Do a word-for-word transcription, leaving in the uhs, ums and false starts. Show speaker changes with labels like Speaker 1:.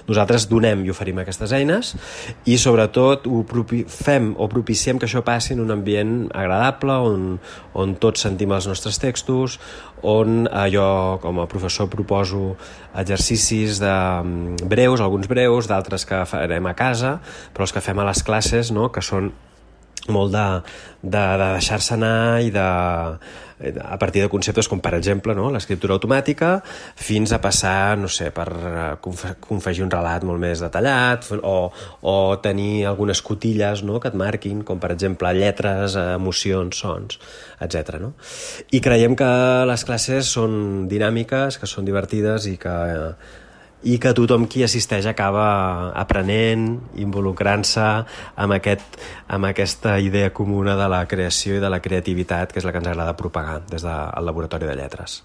Speaker 1: Nosaltres donem i oferim aquestes eines i sobretot ho propi- fem o propiciem que això passi en un ambient agradable on, on tots sentim els nostres textos, on eh, jo com a professor proposo exercicis de, breus, alguns breus, d'altres que farem a casa, però els que fem a les classes, no?, que són molt de, de, de deixar-se anar i de, a partir de conceptes com, per exemple, no, l'escriptura automàtica, fins a passar, no sé, per confegir un relat molt més detallat o, o tenir algunes cotilles, no?, que et marquin, com per exemple lletres, emocions, sons, etcètera, no? I creiem que les classes són dinàmiques, que són divertides i que i que tothom qui assisteix acaba aprenent, involucrant-se amb, aquest, amb aquesta idea comuna de la creació i de la creativitat, que és la que ens agrada propagar des del Laboratori de Lletres.